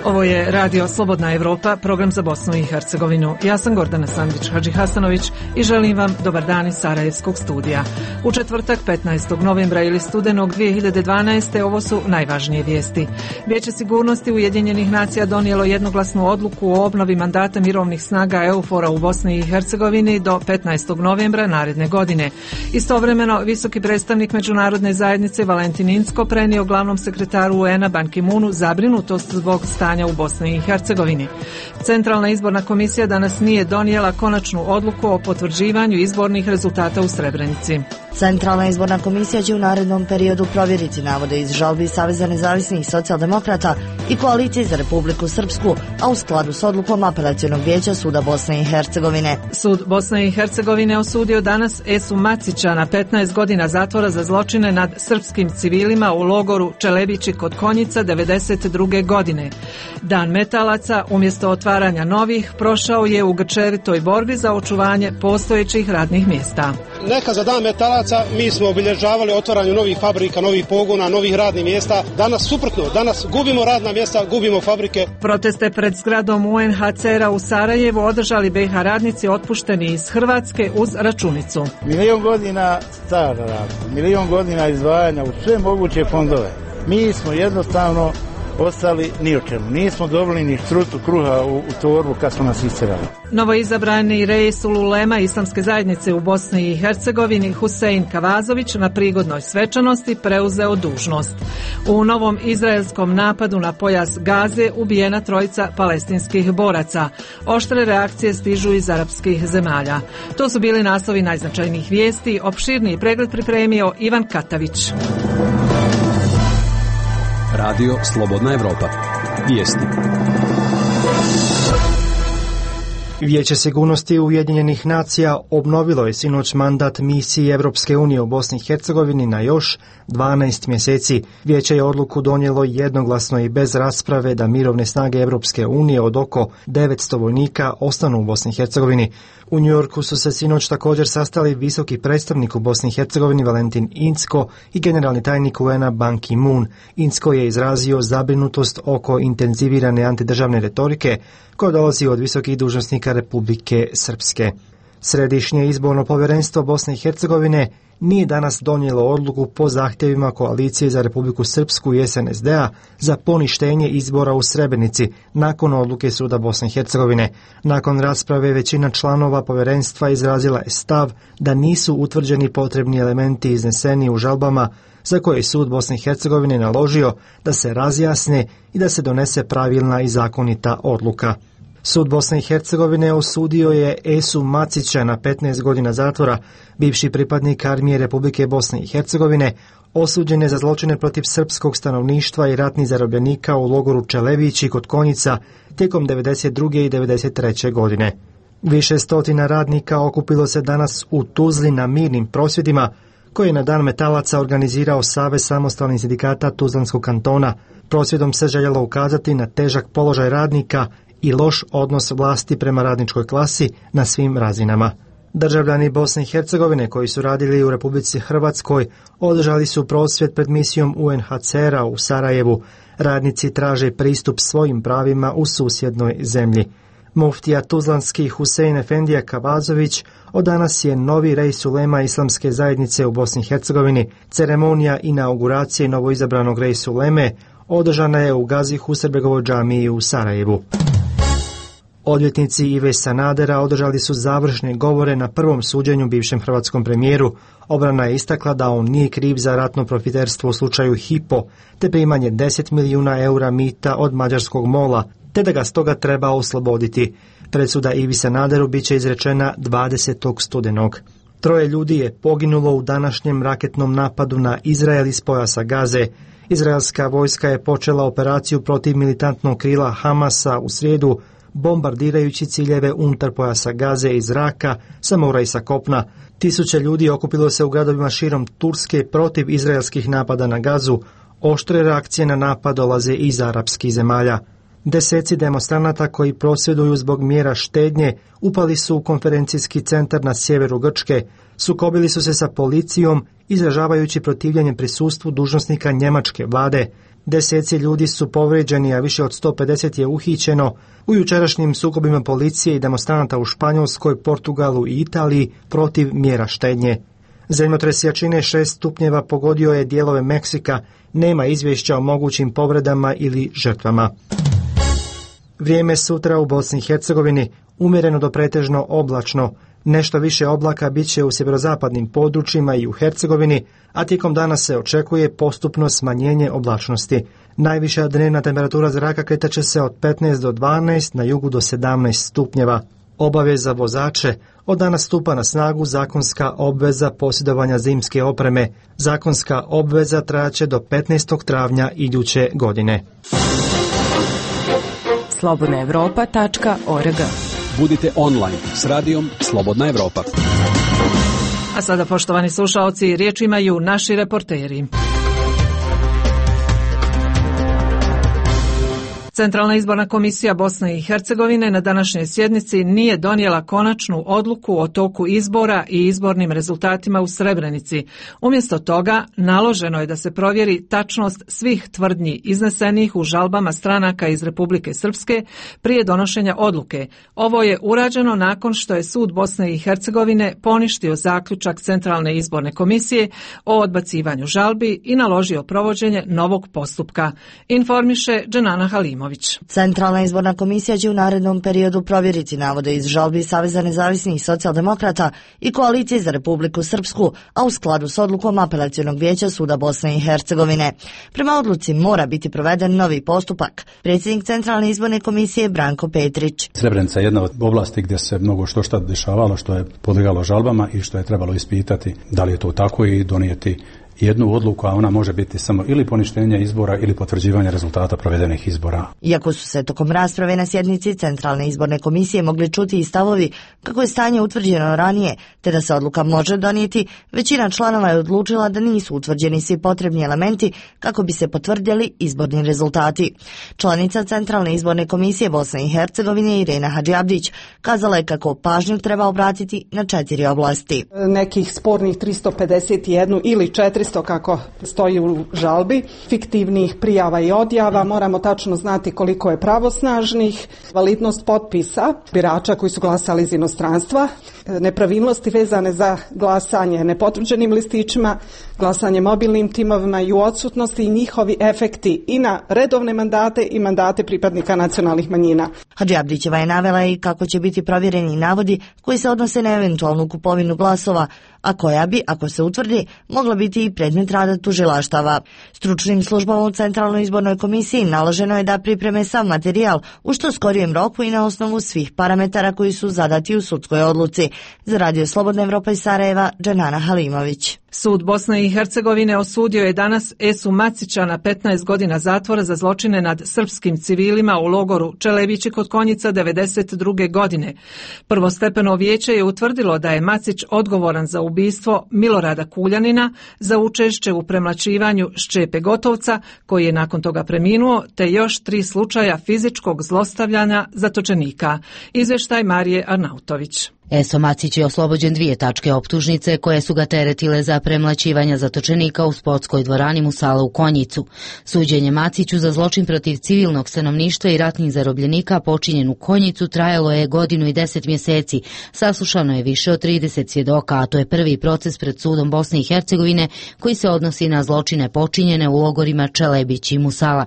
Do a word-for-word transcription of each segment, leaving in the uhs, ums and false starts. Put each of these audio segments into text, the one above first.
Ovo je Radio Slobodna Evropa, program za Bosnu i Hercegovinu. Ja sam Gordana Sandić Hadžihasanović i želim vam dobar dan iz Sarajevskog studija. U četvrtak petnaestog novembra ili studenog dvije hiljade dvanaeste. ovo su najvažnije vijesti. Vijeće sigurnosti Ujedinjenih nacija donijelo jednoglasnu odluku o obnovi mandata mirovnih snaga EUFOR-a u Bosni i Hercegovini do petnaestog novembra naredne godine. Istovremeno, visoki predstavnik međunarodne zajednice Valentin Incko prenio glavnom sekretaru U N-a Ban Ki-moonu zabrinutost zbog stanja u Bosni i Hercegovini. Centralna izborna komisija danas nije donijela konačnu odluku o potvrđivanju izbornih rezultata u Srebrenici. Centralna izborna komisija će u narednom periodu provjeriti navode iz žalbi Saveza nezavisnih socijaldemokrata i Koalicije za Republiku Srpsku, a u skladu s odlukom Apelacionog vijeća Suda Bosne i Hercegovine. Sud Bosne i Hercegovine osudio danas Esu Macića na petnaest godina zatvora za zločine nad srpskim civilima u logoru Čelebići kod Konjica devedeset druge. godine. Dan metalaca, umjesto otvaranja novih, prošao je u grčevitoj borbi za očuvanje postojećih radnih mjesta. Neka za dan metalaca mi smo obilježavali otvaranje novih fabrika, novih pogona, novih radnih mjesta. Danas suprotno, danas gubimo radna mjesta, gubimo fabrike. Proteste pred zgradom U N H C R-a u Sarajevu održali B iH radnici otpušteni iz Hrvatske uz računicu. Milion godina stara rada, milion godina izdvajanja u sve moguće fondove. Mi smo jednostavno ostali ni o čemu. Nismo dobili ni štrucu kruha u, u torbu kad smo nas istjerali. Novoizabrani Reisul Ulema Islamske zajednice u Bosni i Hercegovini Husein Kavazović na prigodnoj svečanosti preuzeo dužnost. U novom izraelskom napadu na pojas Gaze ubijena trojica palestinskih boraca. Oštre reakcije stižu iz arapskih zemalja. To su bili naslovi najznačajnijih vijesti. Opširniji pregled pripremio Ivan Katavić. Radio Slobodna Evropa. Vijesti. Vijeće sigurnosti Ujedinjenih nacija obnovilo je sinoć mandat misiji Evropske unije u Bosni i Hercegovini na još dvanaest mjeseci. Vijeće je odluku donijelo jednoglasno i bez rasprave da mirovne snage Evropske unije od oko devetsto vojnika ostanu u Bosni i Hercegovini. U Njujorku su se sinoć također sastali visoki predstavnik u Bosni i Hercegovini Valentin Incko i generalni tajnik U N-a Ban Ki-moon. Incko je izrazio zabrinutost oko intenzivirane antidržavne retorike koja dolazi od visokih dužnosnika Republike Srpske. Središnje izborno povjerenstvo Bosne i Hercegovine nije danas donijelo odluku po zahtjevima Koalicije za Republiku Srpsku i S N S D-a za poništenje izbora u Srebrenici nakon odluke Suda Bosne i Hercegovine. Nakon rasprave većina članova povjerenstva izrazila je stav da nisu utvrđeni potrebni elementi izneseni u žalbama za koje je Sud Bosne i Hercegovine naložio da se razjasne i da se donese pravilna i zakonita odluka. Sud Bosne i Hercegovine osudio je Esu Macića na petnaest godina zatvora. Bivši pripadnik armije Republike Bosne i Hercegovine osuđen je za zločine protiv srpskog stanovništva i ratnih zarobljenika u logoru Čelebići kod Konjica tijekom devedeset druge i devedeset treće. godine. Više stotina radnika okupilo se danas u Tuzli na mirnim prosvjedima koje je na dan metalaca organizirao Savez samostalnih sindikata Tuzlanskog kantona. Prosvjedom se željelo ukazati na težak položaj radnika i loš odnos vlasti prema radničkoj klasi na svim razinama. Državljani Bosne i Hercegovine koji su radili u Republici Hrvatskoj održali su prosvjed pred misijom U N H C R-a u Sarajevu. Radnici traže pristup svojim pravima u susjednoj zemlji. Muftija Tuzlanski Husein Efendija Kavazović od danas je novi Reisul Ulema Islamske zajednice u Bosni i Hercegovini. Ceremonija inauguracije novoizabranog Reisul Uleme održana je u Gazi Husarbegovoj džamiji u Sarajevu. Odvjetnici Ive Sanadera održali su završne govore na prvom suđenju bivšem hrvatskom premijeru. Obrana je istakla da on nije kriv za ratno profiterstvo u slučaju Hypo, te primanje deset milijuna eura mita od mađarskog mola, te da ga stoga treba osloboditi. Presuda Ivi Sanaderu bit će izrečena dvadesetog studenog. Troje ljudi je poginulo u današnjem raketnom napadu na Izrael iz pojasa Gaze. Izraelska vojska je počela operaciju protiv militantnog krila Hamasa u srijedu, bombardirajući ciljeve unutar pojasa Gaze iz zraka, sa mora i sa kopna. Tisuće ljudi okupilo se u gradovima širom Turske protiv izraelskih napada na Gazu. Oštre reakcije na napad dolaze iz arapskih zemalja. Deseci demonstranata koji prosvjeduju zbog mjera štednje upali su u konferencijski centar na sjeveru Grčke, sukobili su se sa policijom izražavajući protivljenje prisustvu dužnosnika njemačke vlade. Deseci ljudi su povrijeđeni, a više od sto pedeset je uhićeno u jučerašnjim sukobima policije i demonstranata u Španjolskoj, Portugalu i Italiji protiv mjera štednje. Zemljotres jačine šest stupnjeva pogodio je dijelove Meksika, nema izvješća o mogućim povredama ili žrtvama. Vrijeme sutra u Bosni i Hercegovini umjereno do pretežno oblačno. Nešto više oblaka bit će u sjeverozapadnim područjima i u Hercegovini, a tijekom dana se očekuje postupno smanjenje oblačnosti. Najviša dnevna temperatura zraka kretat će se od petnaest do dvanaest, na jugu do sedamnaest stupnjeva. Obaveza za vozače: od danas stupa na snagu zakonska obveza posjedovanja zimske opreme. Zakonska obveza trajaće do petnaestog travnja iduće godine. slobodna evropa tačka org. Budite online s radijom Slobodna Evropa. A sada, poštovani slušaoci, riječ imaju naši reporteri. Centralna izborna komisija Bosne i Hercegovine na današnjoj sjednici nije donijela konačnu odluku o toku izbora i izbornim rezultatima u Srebrenici. Umjesto toga, naloženo je da se provjeri tačnost svih tvrdnji iznesenih u žalbama stranaka iz Republike Srpske prije donošenja odluke. Ovo je urađeno nakon što je sud Bosne i Hercegovine poništio zaključak Centralne izborne komisije o odbacivanju žalbi i naložio provođenje novog postupka, informiše Dženana Halimović. Centralna izborna komisija će u narednom periodu provjeriti navode iz žalbi Saveza nezavisnih socijaldemokrata i Koalicije za Republiku Srpsku, a u skladu s odlukom Apelacionog vijeća suda Bosne i Hercegovine. Prema odluci mora biti proveden novi postupak. Predsjednik Centralne izborne komisije Branko Petrić. Srebrenica je jedna od oblasti gdje se mnogo što šta dešavalo, što je podlegalo žalbama i što je trebalo ispitati da li je to tako i donijeti jednu odluku, a ona može biti samo ili poništenje izbora ili potvrđivanje rezultata provedenih izbora. Iako su se tokom rasprave na sjednici Centralne izborne komisije mogli čuti i stavovi kako je stanje utvrđeno ranije, te da se odluka može donijeti, većina članova je odlučila da nisu utvrđeni svi potrebni elementi kako bi se potvrdili izborni rezultati. Članica Centralne izborne komisije Bosne i Hercegovine Irena Hadžiabdić kazala je kako pažnju treba obratiti na četiri oblasti. Nekih spornih tristo pedeset jedan ili četiristo kako stoji u žalbi, fiktivnih prijava i odjava, moramo tačno znati koliko je pravosnažnih, validnost potpisa birača koji su glasali iz inostranstva, nepravilnosti vezane za glasanje nepotvrđenim listićima, glasanje mobilnim timovima i u odsutnosti i njihovi efekti i na redovne mandate i mandate pripadnika nacionalnih manjina. Hadžiabdićeva je navela i kako će biti provjereni navodi koji se odnose na eventualnu kupovinu glasova, a koja bi, ako se utvrdi, mogla biti i predmet rada tužilaštava. Stručnim službama u Centralnoj izbornoj komisiji naloženo je da pripreme sav materijal u što skorijem roku i na osnovu svih parametara koji su zadati u sudskoj odluci. Za Radio Slobodna Evropa iz Sarajeva, Dženana Halimović. Sud Bosne i Hercegovine osudio je danas Esu Macića na petnaest godina zatvora za zločine nad srpskim civilima u logoru Čelebići kod Konjica devedeset druge godine. Prvostepeno vijeće je utvrdilo da je Macić odgovoran za ubistvo Milorada Kuljanina, za učešće u premlaćivanju Šćepe Gotovca, koji je nakon toga preminuo, te još tri slučaja fizičkog zlostavljanja zatočenika. Izvještaj Marije Arnautović. Eso Macić je oslobođen dvije tačke optužnice koje su ga teretile za premlaćivanja zatočenika u sportskoj dvorani Musala u Konjicu. Suđenje Maciću za zločin protiv civilnog stanovništva i ratnih zarobljenika počinjen u Konjicu trajalo je godinu i deset mjeseci. Saslušano je više od trideset svjedoka, a to je prvi proces pred sudom Bosne i Hercegovine koji se odnosi na zločine počinjene u logorima Čelebić i Musala.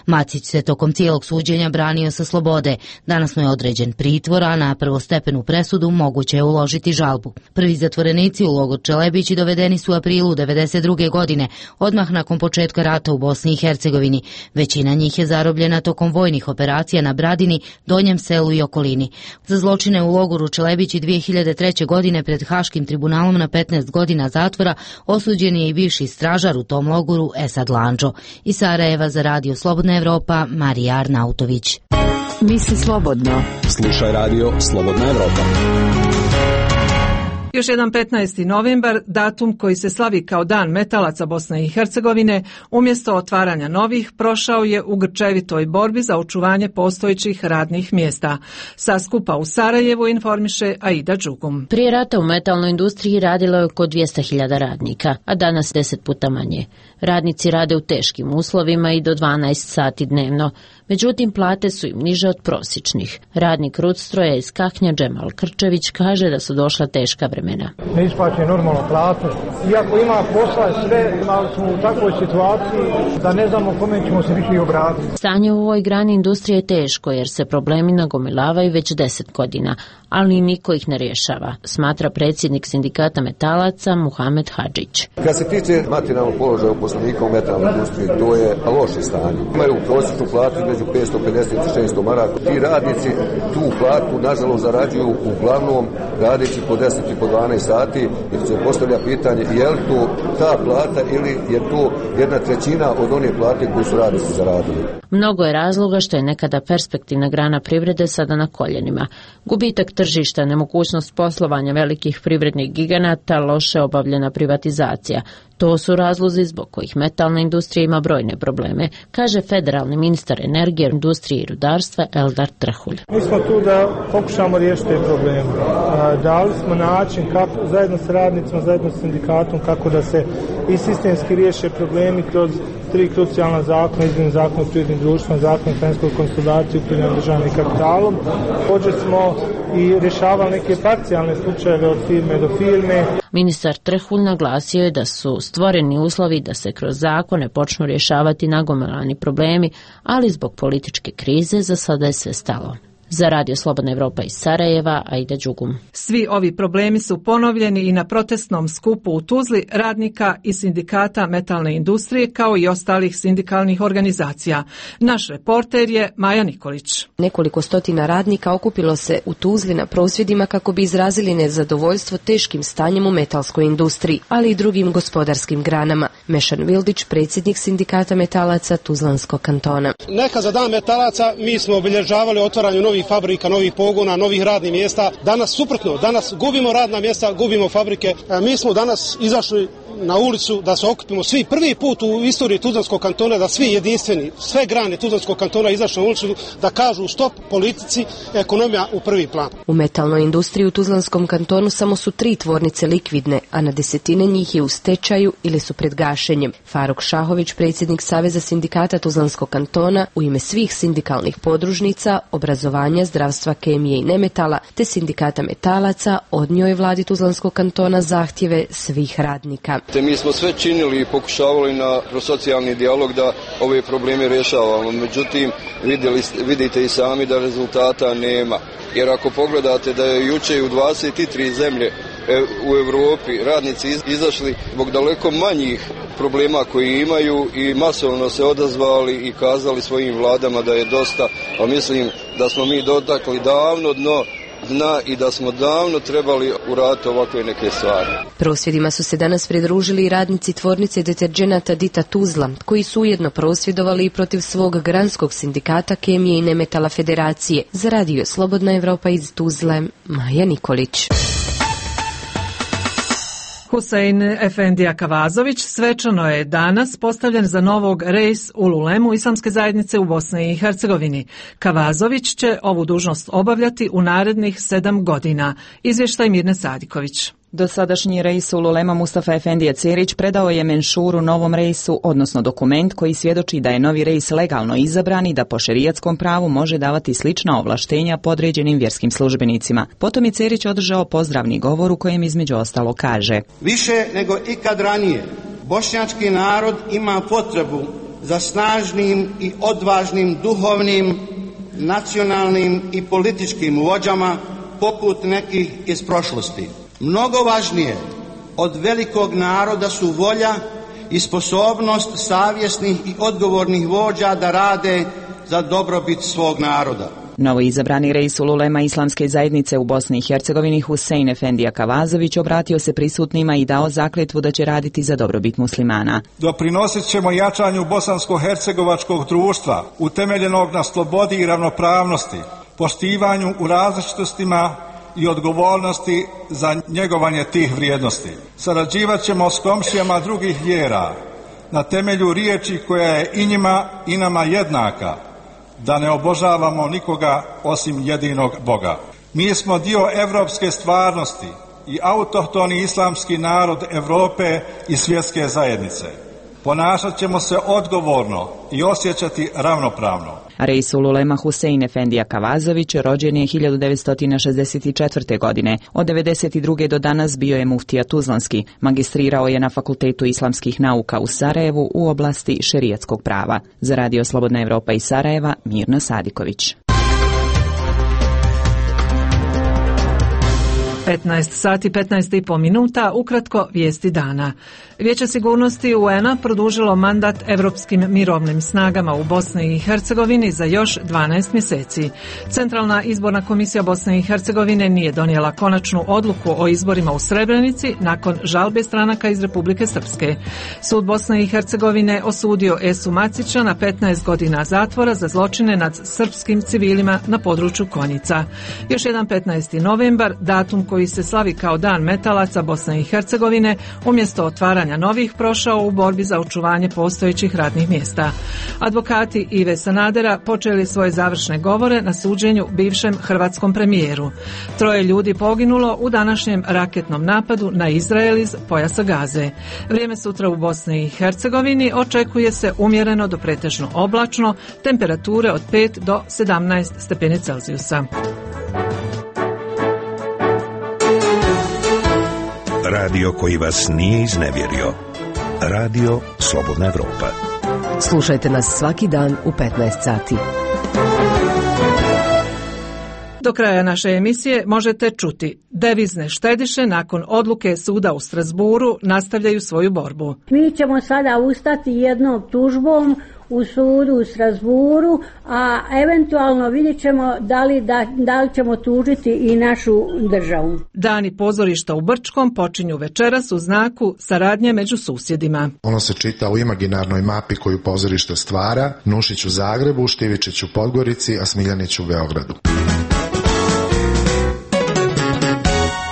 Macić se tokom cijelog suđenja branio sa slobode. Danas mu je određen pritvor, a na prvostepenu presudu moguće je uložiti žalbu. Prvi zatvorenici u logor Čelebići dovedeni su u aprilu devedeset druge godine, odmah nakon početka rata u Bosni i Hercegovini. Većina njih je zarobljena tokom vojnih operacija na Bradini, Donjem selu i okolini. Za zločine u logoru Čelebići dvije hiljade treće. godine pred Haškim tribunalom na petnaest godina zatvora osuđen je i bivši stražar u tom logoru Esad Landžo. Iz Sarajeva za Radio Slobodna Evropa, Marija Arnautović. Misli slobodno. Slušaj Radio Slobodna Evropa. Još jedan petnaesti novembar, datum koji se slavi kao Dan metalaca Bosne i Hercegovine, umjesto otvaranja novih, prošao je u grčevitoj borbi za očuvanje postojećih radnih mjesta. Sa skupa u Sarajevu informiše Aida Đugum. Prije rata u metalnoj industriji radilo je oko dvjesto hiljada radnika, a danas deset puta manje. Radnici rade u teškim uslovima i do dvanaest sati dnevno. Međutim, plate su im niže od prosječnih. Radnik Rudstroja iz Kaknja Džemal Krčević kaže da su došla teška vremena. Ne isplaćuje normalno platu. Iako ima posla sve, ali smo u takvoj situaciji da ne znamo kome ćemo se više obratiti. Stanje u ovoj grani industrije je teško jer se problemi nagomilavaju već deset godina, ali niko ih ne rješava, smatra predsjednik sindikata metalaca Muhamed Hadžić. Kad se tiče materijalnog položaja uposlenika u metalnoj industriji, to je loše stanje. Imaju prosječnu platu između petsto pedeset i šesto maraka. Ti radnici tu platu nažalost zarađuju uglavnom radeći po deset i po dvanaest sati i se postavlja pitanje je li to ta plata ili je to jedna trećina od one plate koju su radnici zaradili. Mnogo je razloga što je nekada perspektivna grana privrede sada na koljenima. Gubitak tržišta, nemogućnost poslovanja velikih privrednih giganata, loše obavljena privatizacija. To su razlozi zbog kojih metalna industrija ima brojne probleme, kaže federalni ministar energije, industrije i rudarstva Eldar Trhulj. Mi smo tu da pokušamo riješiti te probleme. Dali smo način kako, zajedno s radnicima, zajedno s sindikatom, kako da se i sistemski riješe problemi kroz tri krucijalna zakona, izmjeni zakona o privrednim društvima, zakon o financijskoj konsolidaciji, upravljanju državnim kapitalom. Također smo i rješavali neke parcijalne slučajeve od firme do firme. Ministar Trhulj naglasio je da su stvoreni uslovi da se kroz zakone počnu rješavati nagomilani problemi, ali zbog političke krize za sada je sve stalo. Za Radio Slobodna Evropa iz Sarajeva, Aida Đugum. Svi ovi problemi su ponovljeni i na protestnom skupu u Tuzli radnika i sindikata metalne industrije kao i ostalih sindikalnih organizacija. Naš reporter je Maja Nikolić. Nekoliko stotina radnika okupilo se u Tuzli na prosvjedima kako bi izrazili nezadovoljstvo teškim stanjem u metalskoj industriji, ali i drugim gospodarskim granama. Mešan Vildić, predsjednik sindikata metalaca Tuzlanskog kantona. Neka za Dan metalaca mi smo obilježavali otvaranje novih fabrika, novih pogona, novih radnih mjesta. Danas suprotno, danas gubimo radna mjesta, gubimo fabrike. Mi smo danas izašli na ulicu da se okupimo svi prvi put u istoriji Tuzlanskog kantona, da svi jedinstveni, sve grane Tuzlanskog kantona izašli na ulicu da kažu stop politici, ekonomija u prvi plan. U metalnoj industriji u Tuzlanskom kantonu samo su tri tvornice likvidne, a na desetine njih je u stečaju ili su pred gašenjem. Faruk Šahović, predsjednik Saveza sindikata Tuzlanskog kantona, u ime svih sindikalnih podružnica, obrazovanja, zdravstva, kemije i nemetala, te sindikata metalaca, odnio je vladi Tuzlanskog kantona zahtjeve svih radnika. Te mi smo sve činili i pokušavali na kroz socijalni dijalog da ove probleme rješavamo. Međutim, vidjeli, vidite i sami da rezultata nema. Jer ako pogledate da je jučer u dvadeset tri zemlje u Europi radnici izašli zbog daleko manjih problema koji imaju i masovno se odazvali i kazali svojim vladama da je dosta, a mislim da smo mi dotakli davno dno dna i da smo davno trebali uraditi ovakve neke stvari. Prosvjedima su se danas pridružili i radnici tvornice deterđenata Dita Tuzla, koji su ujedno prosvjedovali i protiv svog granskog sindikata kemije i nemetala federacije. Za Radio Slobodna Evropa iz Tuzle, Maja Nikolić. Husein Efendija Kavazović svečano je danas postavljen za novog reis u ulemu Islamske zajednice u Bosni i Hercegovini. Kavazović će ovu dužnost obavljati u narednih sedam godina. Izvještaj Mirne Sadiković. Dosadašnji reis ulema Mustafa Efendija Cerić predao je menšuru novom reisu, odnosno dokument koji svjedoči da je novi reis legalno izabran i da po šerijatskom pravu može davati slična ovlaštenja podređenim vjerskim službenicima. Potom je Cerić održao pozdravni govor u kojem između ostalo kaže: Više nego ikad ranije, bošnjački narod ima potrebu za snažnim i odvažnim duhovnim, nacionalnim i političkim vođama poput nekih iz prošlosti. Mnogo važnije od velikog naroda su volja i sposobnost savjesnih i odgovornih vođa da rade za dobrobit svog naroda. Novo izabrani reis ulema Islamske zajednice u Bosni i Hercegovini Husein Efendija Kavazović obratio se prisutnima i dao zakletvu da će raditi za dobrobit muslimana. Doprinosit ćemo jačanju bosansko-hercegovačkog društva utemeljenog na slobodi i ravnopravnosti, poštivanju u različitostima i odgovornosti za njegovanje tih vrijednosti. Sarađivat ćemo s komšijama drugih vjera na temelju riječi koja je i njima i nama jednaka, da ne obožavamo nikoga osim jedinog Boga. Mi smo dio evropske stvarnosti i autohtoni islamski narod Europe i svjetske zajednice. Ponašat ćemo se odgovorno i osjećati ravnopravno. Reisul Ulema Husein Efendija Kavazović rođen je hiljadu devetsto šezdeset četvrte. godine. Od devedeset druge do danas bio je muftija Tuzlanski. Magistrirao je na Fakultetu islamskih nauka u Sarajevu u oblasti šerijatskog prava. Za Radio Slobodna Evropa iz Sarajeva, Mirna Sadiković. petnaest sati petnaest i po minuta, ukratko vijesti dana. Vijeće sigurnosti U N-a produžilo mandat Evropskim mirovnim snagama u Bosni i Hercegovini za još dvanaest mjeseci. Centralna izborna komisija Bosne i Hercegovine nije donijela konačnu odluku o izborima u Srebrenici nakon žalbe stranaka iz Republike Srpske. Sud Bosne i Hercegovine osudio Esu Macića na petnaest godina zatvora za zločine nad srpskim civilima na području Konjica. Još jedan petnaesti novembar, datum koji se slavi kao Dan metalaca Bosne i Hercegovine, umjesto otvaranja novih prošao u borbi za očuvanje postojećih radnih mjesta. Advokati Ive Sanadera počeli svoje završne govore na suđenju bivšem hrvatskom premijeru. Troje ljudi poginulo u današnjem raketnom napadu na Izrael iz pojasa Gaze. Vrijeme sutra u Bosni i Hercegovini očekuje se umjereno do pretežno oblačno, temperature od pet do sedamnaest stepeni Celzijusa. Radio koji vas nije iznevjerio. Radio Slobodna Evropa. Slušajte nas svaki dan u petnaest sati. Do kraja naše emisije možete čuti: devizne štediše nakon odluke suda u Strasburu nastavljaju svoju borbu. Mi ćemo sada ustati jednom tužbom u sudu u Strasburu, a eventualno vidjet ćemo da li, da, da li ćemo tužiti i našu državu. Dani pozorišta u Brčkom počinju večeras u znaku saradnje među susjedima. Ono se čita u imaginarnoj mapi koju pozorište stvara: Nušić u Zagrebu, Štivičić u Podgorici, a Smiljanić u Beogradu.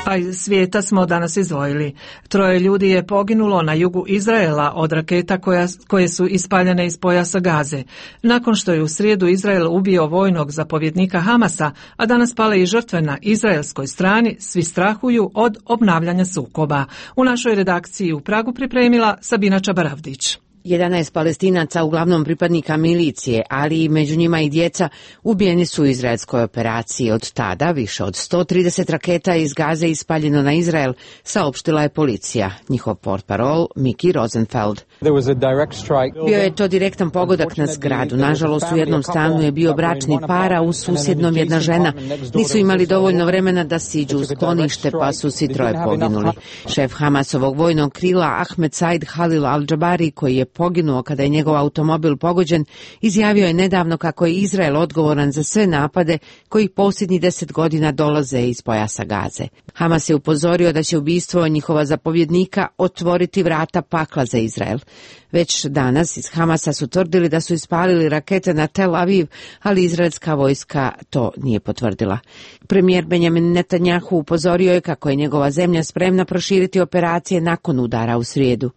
A iz svijeta smo danas izdvojili. Troje ljudi je poginulo na jugu Izraela od raketa koja, koje su ispaljene iz pojasa Gaze. Nakon što je u srijedu Izrael ubio vojnog zapovjednika Hamasa, a danas pale i žrtve na izraelskoj strani, svi strahuju od obnavljanja sukoba. U našoj redakciji u Pragu pripremila Sabina Čabaravdić. jedanaest Palestinaca, uglavnom pripadnika milicije, ali i među njima i djeca, ubijeni su u izraelskoj operaciji. Od tada više od sto trideset raketa iz Gaze ispaljeno na Izrael, saopštila je policija. Njihov portparol Miki Rosenfeld. Bio je to direktan pogodak na zgradu. Nažalost, u jednom stanu je bio bračni par, a u susjednom jedna žena. Nisu imali dovoljno vremena da siđu u sklonište, pa su svi troje poginuli. Šef Hamasovog vojnog krila Ahmed Said Halil al-Jabari, koji je poginuo kada je njegov automobil pogođen, izjavio je nedavno kako je Izrael odgovoran za sve napade koji posljednjih deset godina dolaze iz pojasa Gaze. Hamas je upozorio da će ubistvo njihova zapovjednika otvoriti vrata pakla za Izrael. Već danas iz Hamasa su tvrdili da su ispalili rakete na Tel Aviv, ali izraelska vojska to nije potvrdila. Premijer Benjamin Netanjahu upozorio je kako je njegova zemlja spremna proširiti operacije nakon udara u srijedu.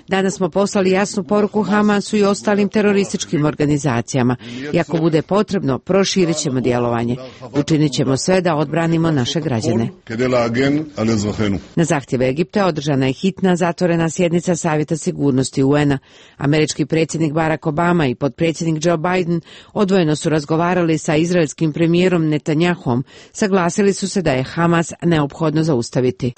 Danas smo poslali jasnu poruku Hamasu i ostalim terorističkim organizacijama. I ako bude potrebno, proširit ćemo djelovanje. Učinit ćemo sve da odbranimo naše građane. Na zahtjev Egipta održana je hitna zatvorena sjednica Savjeta sigurnosti U N-a. Američki predsjednik Barack Obama i potpredsjednik Joe Biden odvojeno su razgovarali sa izraelskim premijerom Netanjahom. Saglasili su se da je Hamas neophodno zaustaviti.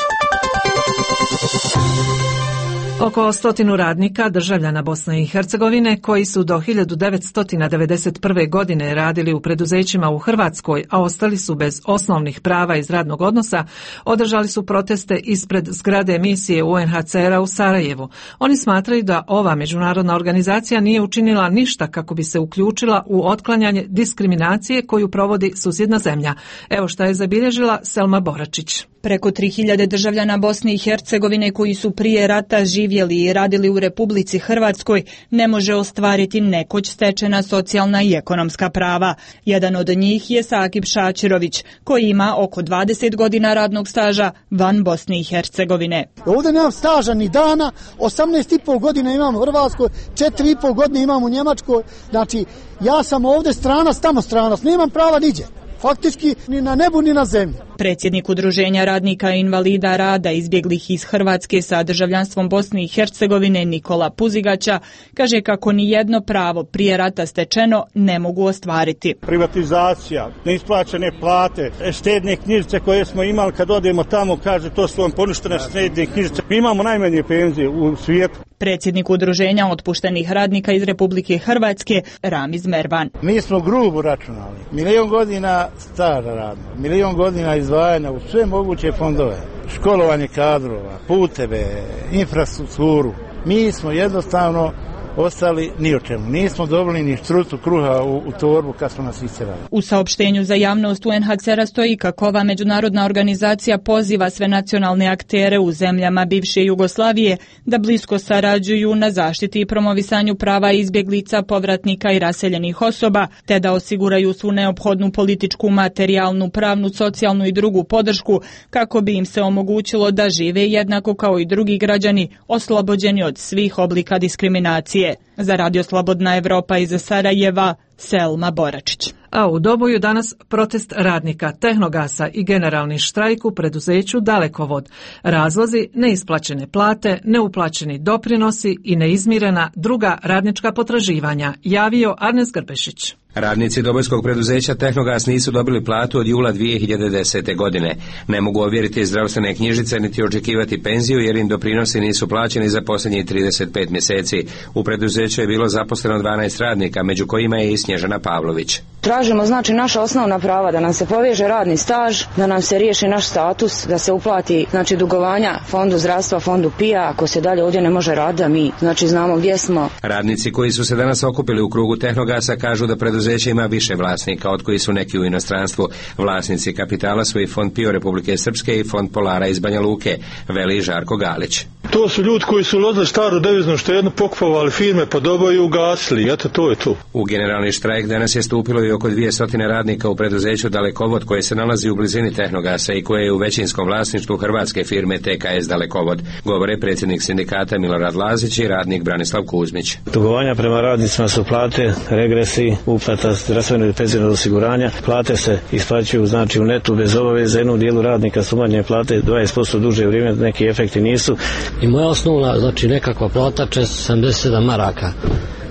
Oko stotinu radnika, državljana Bosne i Hercegovine, koji su do hiljadu devetsto devedeset prve. godine radili u preduzećima u Hrvatskoj, a ostali su bez osnovnih prava iz radnog odnosa, održali su proteste ispred zgrade misije U N H C R-a u Sarajevu. Oni smatraju da ova međunarodna organizacija nije učinila ništa kako bi se uključila u otklanjanje diskriminacije koju provodi susjedna zemlja. Evo šta je zabilježila Selma Boračić. Preko tri hiljade državljana Bosne i Hercegovine koji su prije rata živjeli i radili u Republici Hrvatskoj ne može ostvariti nekoć stečena socijalna i ekonomska prava. Jedan od njih je Sakip Šačirović, koji ima oko dvadeset godina radnog staža van Bosne i Hercegovine. Ovdje nemam staža ni dana, osamnaest i pol godina imam u Hrvatskoj, četiri i pol godine imam u Njemačkoj, znači ja sam ovdje stranac, tamo stranac, nemam prava niđe. Faktički ni na nebu ni na zemlji. Predsjednik Udruženja radnika i invalida rada izbjeglih iz Hrvatske sa državljanstvom Bosne i Hercegovine Nikola Puzigaća kaže kako ni jedno pravo prije rata stečeno ne mogu ostvariti. Privatizacija, neisplaćene plate, štedne knjižice koje smo imali kad odemo tamo, kaže to su vam poništene štedne knjižice. Mi imamo najmanje penzije u svijetu. Predsjednik Udruženja otpuštenih radnika iz Republike Hrvatske Ramiz Mervan. Mi smo grubo računali. Milion godina staža radno, milion godina izdvajanja u sve moguće fondove, školovanje kadrova, puteve, infrastrukturu. Mi smo jednostavno ostali ni o čemu. Nismo dobili ni štrucu kruha u, u torbu kad smo nas iscerali. U saopštenju za javnost U N H C R-a stoji kako ova međunarodna organizacija poziva sve nacionalne aktere u zemljama bivše Jugoslavije da blisko sarađuju na zaštiti i promovisanju prava izbjeglica, povratnika i raseljenih osoba, te da osiguraju svu neophodnu političku, materijalnu, pravnu, socijalnu i drugu podršku kako bi im se omogućilo da žive jednako kao i drugi građani, oslobođeni od svih oblika diskriminacije. Za Radio Slobodna Evropa iz Sarajeva, Selma Boračić. A u Doboju danas protest radnika Tehnogasa i generalni štrajk u preduzeću Dalekovod. Razlozi neisplaćene plate, neuplaćeni doprinosi i neizmirena druga radnička potraživanja, javio Arnes Grbešić. Radnici dobojskog preduzeća Tehnogas nisu dobili platu od jula dvije hiljade desete. godine. Ne mogu ovjeriti zdravstvene knjižice niti očekivati penziju jer im doprinosi nisu plaćeni za posljednjih trideset pet mjeseci. U preduzeću je bilo zaposleno dvanaest radnika, među kojima je i Snježana Pavlović. Tražimo znači naša osnovna prava, da nam se poveže radni staž, da nam se riješi naš status, da se uplati znači dugovanja fondu zdravstva, fondu P I A, ako se dalje ovdje ne može raditi, da mi znači znamo gdje smo. Radnici koji su se danas okupili u krugu Tehnogasa kažu da preduzeće ima više vlasnika, od koji su neki u inostranstvu. Vlasnici kapitala su i Fond P I O Republike Srpske i Fond Polara iz Banja Luke, veli Žarko Galić. To su ljudi koji su ulazili staru deviznu štednu, pokupovali firme po Doboju i ugasili. Eto, to je to. U generalni štrajk danas je stupilo i oko dvije stotine radnika u preduzeću Dalekovod, koje se nalazi u blizini Tehnogasa i koje je u većinskom vlasništvu hrvatske firme T K S Dalekovod, govore predsjednik sindikata Milorad Lazić i radnik Branislav Kuzmić. Dugovanja prema radnicima su plate, regresi, uplata zdravstvenog i penzionog osiguranja. Plate se isplaćuju znači u netu bez obaveze. Jednom dijelu radnika su manje plate dvadeset posto duže vrijeme, neki efekti nisu. I moja osnovna, znači nekakva plata često sedamdeset sedam maraka.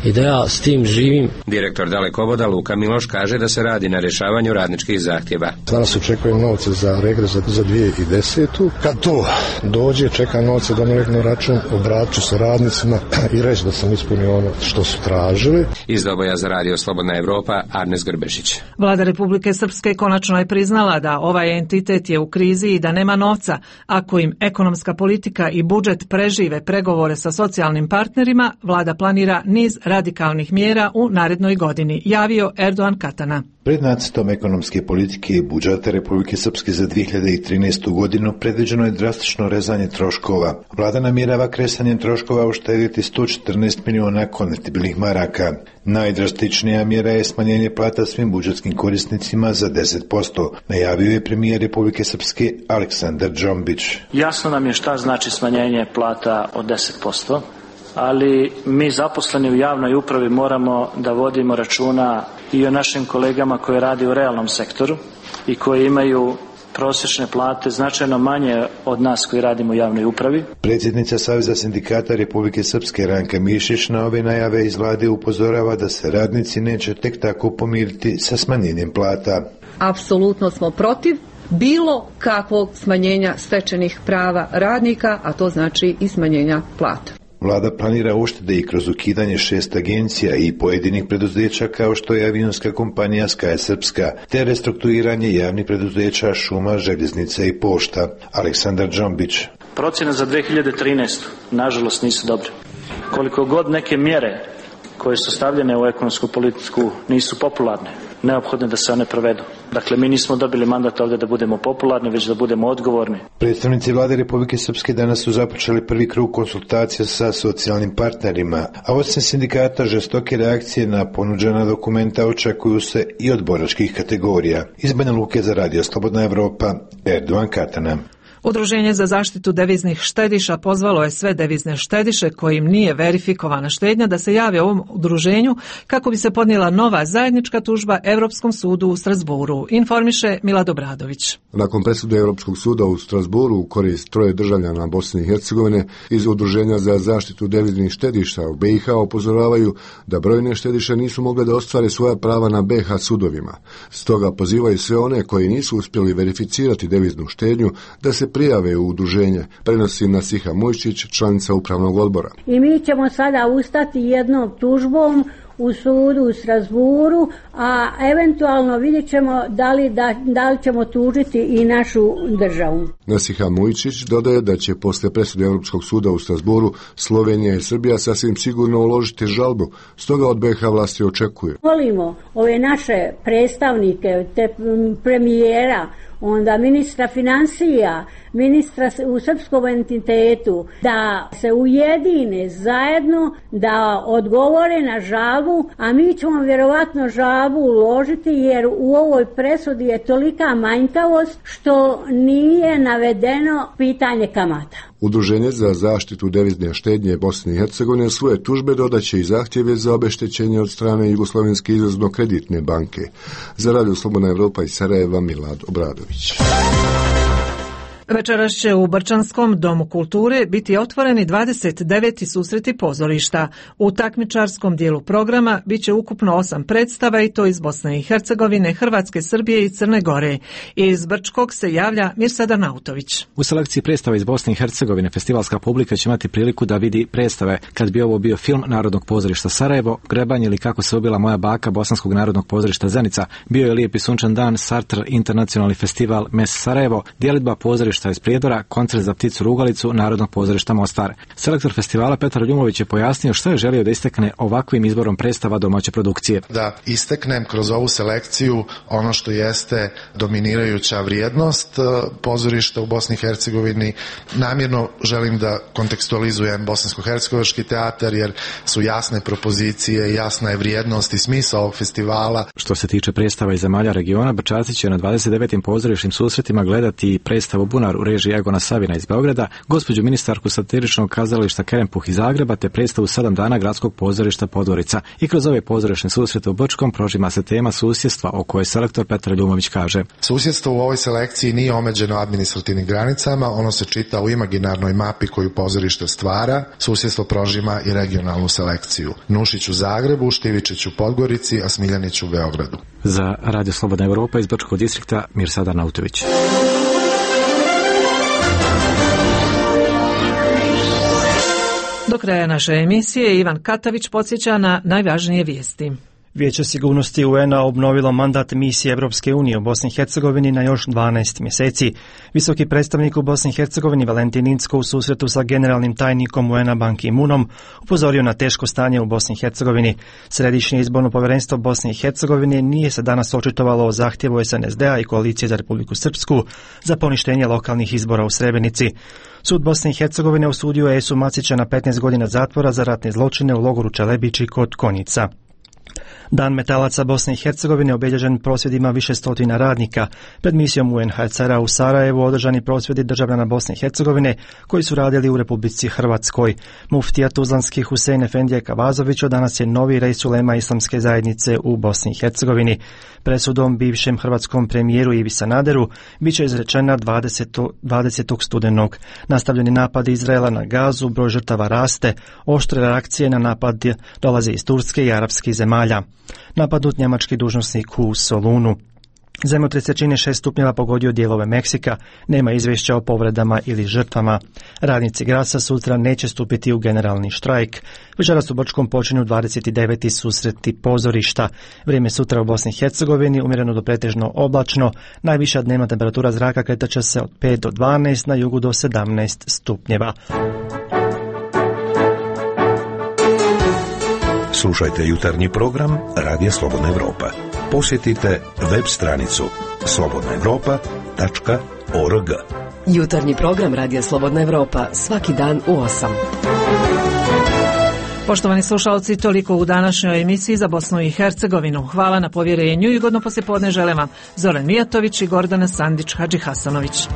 I da ja s tim živim. Direktor Dalekovoda Luka Miloš kaže da se radi na rješavanju radničkih zahtjeva. Danas očekujem novce za regres za, za dvije hiljade desetu. Kad to dođe, čekam novce da mi reknu račun, obratit ću se radnicima i reći da sam ispunio ono što su tražili. Iz Doboja za Radio Slobodna Evropa, Arnes Grbešić. Vlada Republike Srpske konačno je priznala da ovaj entitet je u krizi i da nema novca. Ako im ekonomska politika i budžet prežive pregovore sa socijalnim partnerima, vlada planira niz radikalnih mjera u narednoj godini, javio Erdogan Katana. Pred nacrtom ekonomske politike i budžeta Republike Srpske za dvije hiljade trinaestu. godinu predviđeno je drastično rezanje troškova. Vlada namjerava kresanjem troškova uštedjeti sto četrnaest miliona konvertibilnih maraka. Najdrastičnija mjera je smanjenje plata svim budžetskim korisnicima za deset posto, najavio je premijer Republike Srpske Aleksandar Džombić. Jasno nam je šta znači smanjenje plata od deset posto. Ali mi zaposleni u javnoj upravi moramo da vodimo računa i o našim kolegama koji radi u realnom sektoru i koji imaju prosječne plate značajno manje od nas koji radimo u javnoj upravi. Predsjednica Saveza sindikata Republike Srpske Ranka Mišić na ove najave iz vlade upozorava da se radnici neće tek tako pomiriti sa smanjenjem plata. Apsolutno smo protiv bilo kakvog smanjenja stečenih prava radnika, a to znači i smanjenja plata. Vlada planira uštede i kroz ukidanje šest agencija i pojedinih preduzeća kao što je avionska kompanija Sky Srpska, te restrukturiranje javnih preduzeća Šuma, Željeznica i Pošta. Aleksandar Džombić. Procjene za dvije hiljade trinaestu. nažalost nisu dobre. Koliko god neke mjere koje su stavljene u ekonomsku politiku nisu popularne, neophodne da se one provedu. Dakle, mi nismo dobili mandat ovdje da budemo popularni, već da budemo odgovorni. Predstavnici vlade Republike Srpske danas su započeli prvi krug konsultacija sa socijalnim partnerima, a osim sindikata žestoke reakcije na ponuđena dokumenta očekuju se i od boračkih kategorija. Iz Banja Luke za Radio Slobodna Evropa, Erdovan Katana. Udruženje za zaštitu deviznih štediša pozvalo je sve devizne štediše kojim nije verifikovana štednja da se jave ovom udruženju kako bi se podnijela nova zajednička tužba Europskom sudu u Strasburu, informiše Milad Obradović. Nakon presude Europskog suda u Strasburu u korist troje državljana Bosne i Hercegovine iz Udruženja za zaštitu deviznih štediša u B i H upozoravaju da brojne štediše nisu mogle da ostvare svoja prava na B H sudovima. Stoga pozivaju sve one koji nisu uspjeli verificirati deviznu štednju da se prijave u udruženje, prenosi Nasiha Mujčić, članica upravnog odbora. I mi ćemo sada ustati jednom tužbom u sudu u Strasburu, a eventualno vidjet ćemo da li, da, da li ćemo tužiti i našu državu. Nasiha Mujčić dodaje da će posle presude Europskog suda u Strasburu Slovenija i Srbija sasvim sigurno uložiti žalbu, stoga od B H vlasti očekuje. Molimo ove naše predstavnike, te premijera, onda ministra financija, ministra u srpskom entitetu, da se ujedine zajedno, da odgovore na žalbu, a mi ćemo vjerovatno žalbu uložiti jer u ovoj presudi je tolika manjkavost što nije navedeno pitanje kamata. Udruženje za zaštitu devizne štednje Bosne i Hercegovine svoje tužbe dodaće i zahtjeve za obeštećenje od strane Jugoslovenske izvozno-kreditne banke. Za Radio Slobodna Evropa iz Sarajeva, Milad Obradović. Večeras će u Brčanskom domu kulture biti otvoreni dvadeset deveti susreti pozorišta. U takmičarskom dijelu programa bit će ukupno osam predstava i to iz Bosne i Hercegovine, Hrvatske, Srbije i Crne Gore. Iz Brčkog se javlja Mirsada Nautović. U selekciji predstava iz Bosne i Hercegovine festivalska publika će imati priliku da vidi predstave. Kad bi ovo bio film Narodnog pozorišta Sarajevo, Grebanje ili Kako se ubila moja baka Bosanskog narodnog pozorišta Zenica, bio je Lijepi sunčan dan, Sartre internacionalni festival Mes Sarajevo, djelidba pozorišta iz Prijedora, koncert za pticu rugalicu Narodnog pozorišta Mostar. Selektor festivala Petar Ljumović je pojasnio što je želio da istekne ovakvim izborom predstava domaće produkcije. Da isteknem kroz ovu selekciju ono što jeste dominirajuća vrijednost pozorišta u Bosni i Hercegovini. Namjerno želim da kontekstualizujem bosansko-hercegovački teatar jer su jasne propozicije, jasna je vrijednost i smisao ovog festivala. Što se tiče predstava iz zemalja regiona, Brčanci će na dvadeset devetim pozorišnim susretima gledati predstavu Bunar u režiji Egona Savina iz Beograda, gospođu ministarku satiričnog kazališta Kerempuh iz Zagreba te predstavu sedam dana gradskog pozorišta Podgorica. I kroz ove pozorišne susrete u Brčkom prožima se tema susjedstva o kojoj selektor Petar Ljumović kaže. Susjedstvo u ovoj selekciji nije omeđeno administrativnim granicama, ono se čita u imaginarnoj mapi koju pozorište stvara. Susjedstvo prožima i regionalnu selekciju. Nušić u Zagrebu, Štivičić u Podgorici, a Smiljanić u Beogradu. Za Radio Slobodna Evropa iz Brčkog distrikta Mirsada Nautović. Do kraja naše emisije Ivan Katavić podsjeća na najvažnije vijesti. Vijeće sigurnosti U N-a obnovilo mandat misije Europske unije u Bosni i Hercegovini na još dvanaest mjeseci. Visoki predstavnik u Bosni i Hercegovini Valentin Incko u susretu sa generalnim tajnikom U N-a Ban Ki-moonom upozorio na teško stanje u Bosni i Hercegovini. Središnje izborno povjerenstvo Bosne i Hercegovine nije se danas očitovalo o zahtjevu S N S D-a i koalicije za Republiku Srpsku za poništenje lokalnih izbora u Srebrenici. Sud Bosne i Hercegovine osudio je Esu Macića na petnaest godina zatvora za ratne zločine u logoru Čelebići kod Konjica. Dan metalaca Bosne i Hercegovine obilježen prosvjedima više stotina radnika. Pred misijom U N H C R-a u Sarajevu održani prosvjedi državljana Bosne i Hercegovine koji su radili u Republici Hrvatskoj. Muftija Tuzlanski Husein Efendija Kavazović danas je novi rejs ulema islamske zajednice u Bosni i Hercegovini. Presudom bivšem hrvatskom premijeru Ivi Sanaderu bit će izrečena dvadesetog studenog. Nastavljeni napad Izraela na Gazu, broj žrtava raste, oštre reakcije na napad dolaze iz Turske i arapskih zemalja. Napadnut njemački dužnosnik u Solunu. Zemljotres jačine šest stupnjeva pogodio dijelove Meksika, nema izvješća o povredama ili žrtvama. Radnici Grasa sutra neće stupiti u generalni štrajk. Večeras u Brčkom počinju dvadeset deveti susreti pozorišta. Vrijeme sutra u Bosni i Hercegovini umjereno do pretežno oblačno, najviša dnevna temperatura zraka kretat će se od pet do dvanaest, na jugu do sedamnaest stupnjeva. Slušajte jutarnji program Radija Slobodna Evropa. posjetite web stranicu slobodna evropa tačka org. Jutarnji program Radija Slobodna Evropa svaki dan u osam. Poštovani slušalci, toliko u današnjoj emisiji za Bosnu i Hercegovinu. Hvala na povjerenju i ugodno poslijepodne žele vam Zoran Mijatović i Gordana Sandić Hadžihasanović.